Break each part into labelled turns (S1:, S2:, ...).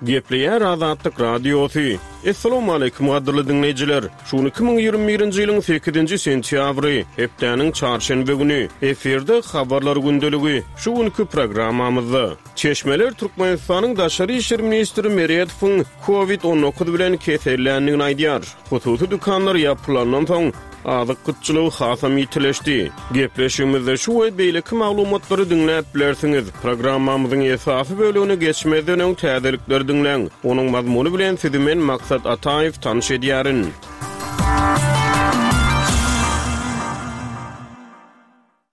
S1: Gepleýär Azatlyk Radiosy. Assalamualaikum gadyrly diňleýjiler. Şu gün 2021-nji ýylyň 8-nji sentýabry, hepdäniň çarşenbe güni. Efirde habarlar gündeligi. Şu günki programmamyzda Çeşmeler Türkmenistanyň Daşary işler ministri Meredowyň Covid 19 bilen keselländigini aýdýar. Hususy dükanlar ýapylandan soň, azyk gytçylygy hasam ýitileşdi. Gepleşigimizde şu we beýleki maglumatlary diňläp bilersiňiz. Programmamyzyň esasy bölegine geçmezden öň täzelikleri diňläň. Onuň mazmuny bilen sizi men Maksat Ataýew tanyş edýärin.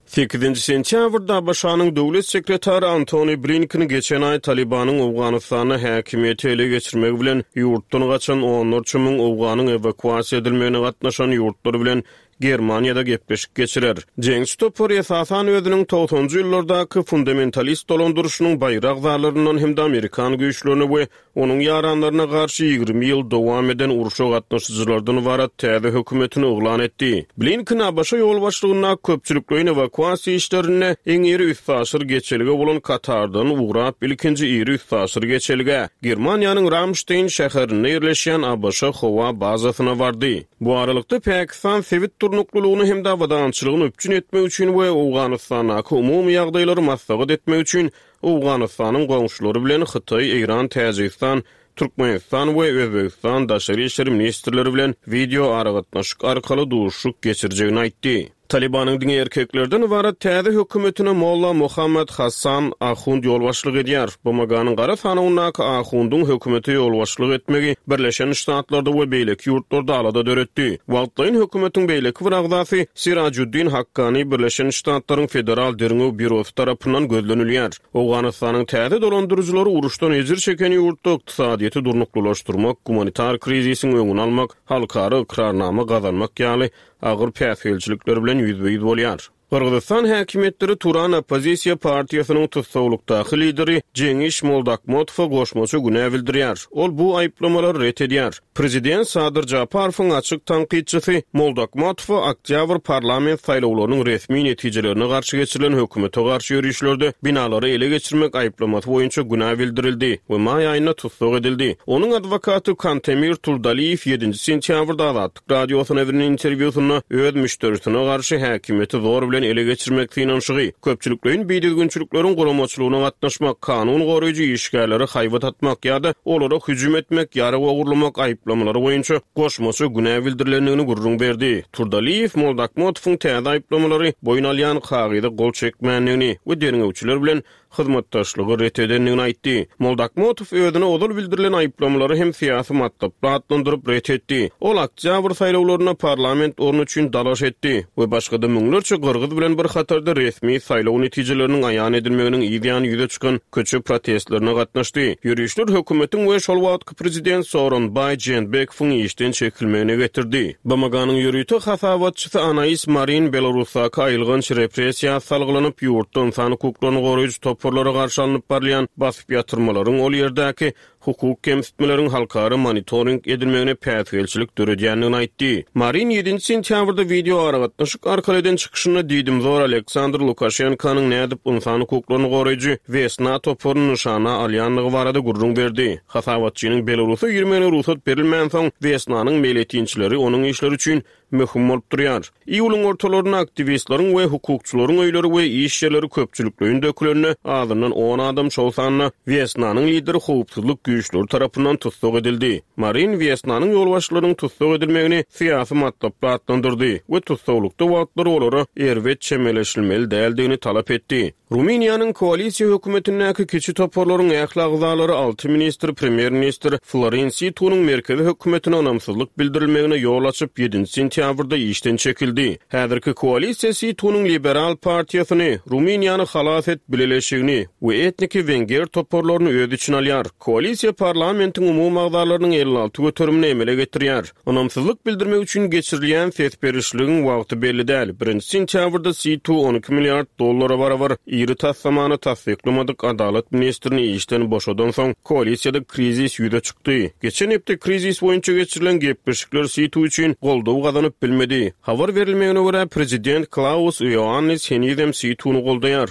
S1: Sekizinji sentýabrda ABŞ-nyň Döwlet sekretary Antony Blinken geçen aý Talybanyň Owganystanda häkimiýeti ele geçirmegi bilen ýurtdan gaçan onlarça müň owganyň ewakuasiýa edilmegine gatnaşan ýurtlar bilen Germaniýada gepleşik geçirer. Jeňçi topar esasan özüniň togsanjy ýyllardaky fundamentalist dolandyryşynyň baýry agzalaryndan hem-de amerikan güýçlerine we Onuň ýaranlaryna garşy 20 ýyl dowam eden urşa gatnaşyjylardan ybarat täze hökümetini yglan etdi. Blinken ABŞ ýolbaşçylygyndaky köpçülikleýin ewakuasiýa işlerinde iň iri üstaşyr geçelge bolan Katardan ugrap, ilkinji iri üstaşyr geçelgä, Germaniýanyň Ramşteýn şäherinde ýerleşýän ABŞ howa bazasyna bardy. Bu aralykda, Pakistan sebit durnuklylygyny hem-de abadançylygyny üpjün etmek üçin we Owganystandaky umumy ýagdaýlary maslahat etmek üçin Owganystanyň goňşulary bilen Hytaý, Eýran, Täjigistan, Türkmenistan we Özbegistan daşary işler ministrleri bilen wideo aragatnaşyk arkaly duşuşyk geçirjegini aýtdy. Talybanyň diňe erkeklerden ybarat täze hökümetine Molla Mohammad Hassan Ahund ýolbaşçylyk edýär. BMG-niň gara sanawyndaky Ahundyň hökümete ýolbaşçylyk etmegi Birleşen Ştatlarda we beýleki ýurtlarda alada döretdi. Wagtlaýyn hökümetiň beýleki bir agzasy Sirajuddin Hakkani Birleşen Ştatlaryň Federal derňew býurosy tarapyndan gözlenilýär. Owganystanyň täze dolandyryjylary uruşdan ejir çeken ýurtda ykdysadyýeti durnuklylaşdyrmak, gumanitar krizisiň öňüni almak, halkara ykrarnama gazanmak ýaly agyr päsgelçilikler bilen ýüzbe-ýüz bolýar. Gyrgyzystan häkimiýetleri Turan oppozisiýa partiýasynyň tussaglykdaky lideri Jeňiş Moldakmotowa goşmaça günä bildirýär. Ol bu aýyplamalary ret edýär. Prezident Sadyr Japarowyň açyk tankytçysy Moldakmatowa oktýabr parlament saýlawlarynyň resmi netijelerine garşy geçirilen hökümete garşy ýörişlerde binalary ele geçirmek aýyplamasy boýunça günä bildirildi we maý aýynda tussag edildi. Onuň adwokaty Kantemir Turdaliýew ýedinji sentýabrda Azatlyk Radiosyna beren interwýusynda öz müşderisine garşy häkimiýeti zor bilen ele geçirmek synanyşygy, köpçülikleýin bidüzgünçilikleriň guramaçylygyna gatnaşmak, kanun goraýjy işgärlere haýbat atmak ýa-da olara hüjüm etmek, ýarag ogurlamak aýyplamalary boýunça goşmaça günä bildirilendigini gürrüň berdi. Turdaliýew Moldakmotowyň täze aýyplamalary boýun alýan kagyza gol çekmändigini we derňewçiler bilen hyzmatdaşlygy ret edendigini aýtdy. Moldakmotow özüne ozal bildirilen aýyplamalary hem syýasy matlaply atlandyryp ret etdi. Ol oktýabr saýlawlarynda parlament orny üçin dalaş etdi we başga-da müňlerçe gyrgyz bilen bir hatarda resmi saýlaw netijeleriniň aýan edilmeginiň yzýany ýüze çykan köçe protestlerine gatnaşdy. Ýörişler hökümetiň we şol wagtky Prezident Sooronbaý Jeenbekowyň işden çekilmegine getirdi. BMG-niň ýörite hasabatçysy Anais Marin Belarusdaky aýylganç repressiýa salgylanyp, ýurtda ynsan hukuklaryny goraýjy toparlara garşy alnyp barylýan basyp ýatyrmalaryň ol ýerdäki hukuk kemsitmeleriň halkara monitoring edilmegine päsgelçilik döredýändigini aýtdy. Marin ýedinji sentýabrda wideoaragatnaşyk arkaly eden çykyşynda diýdimzor Aleksandr Lukaşenkanyň nädip ynsan hukuklaryny goraýjy Wesna toparyny nyşana alýandygy barada gürrüň berdi. Hasabatçynyň Belarusa girmegine rugsat berilmänsoň, Wesnanyň meýletinçileri onuň işleri üçin möhüm bolup durýar. Iýulyň ortalarynda aktiwistleriň we hukukçylaryň öýleri we iş ýerleri köpçülikleýin dökülende, azyndan on adam, şol sanda Wesnanyň lideri howpsuzlyk güýçleri tarapyndan tussag edildi. Marin Wesnanyň ýolbaşçylarynyň tussag edilmegini syýasy matlaply atlandyrdy we tussaglykda wagtlary olara erbet çemeleşilmeli däldigini talap etdi. Rumyniýanyň koalisiýa hökümetindäki kiçi toparlaryň ähli agzalary alty ministr premýer-ministr Florin Situnyň merkezi hökümetine ynamsyzlyk bildirilmegine ýol açyp, ýedinji sentýabrda işden çekildi. Häzirki koalisiýa Situnyň Liberal partiýasyny, Rumyniýany halas et bileleşigini we etniki wenger toparlaryny öz içine alýar. Koalisiýa parlamentiň umumy agzalarynyň 56 göterimini emele getirýär. Ynamsyzlyk bildirmek üçin geçirilýän ses berişligiň wagty belli däl. Birinji sentýabrda Situ 12 milliard dollara barabar iri taslamany tassyklamadyk adalat ministrini işden boşadansoň, koalisiýada krizis ýüze çykdy. Geçen hepde krizis boýunça geçirilen gepleşikler Situ üçin goldaw gazanyp bilmedi. Habar berilmegine görä, prezident Klaus Ioannis henizem Situny goldaýar.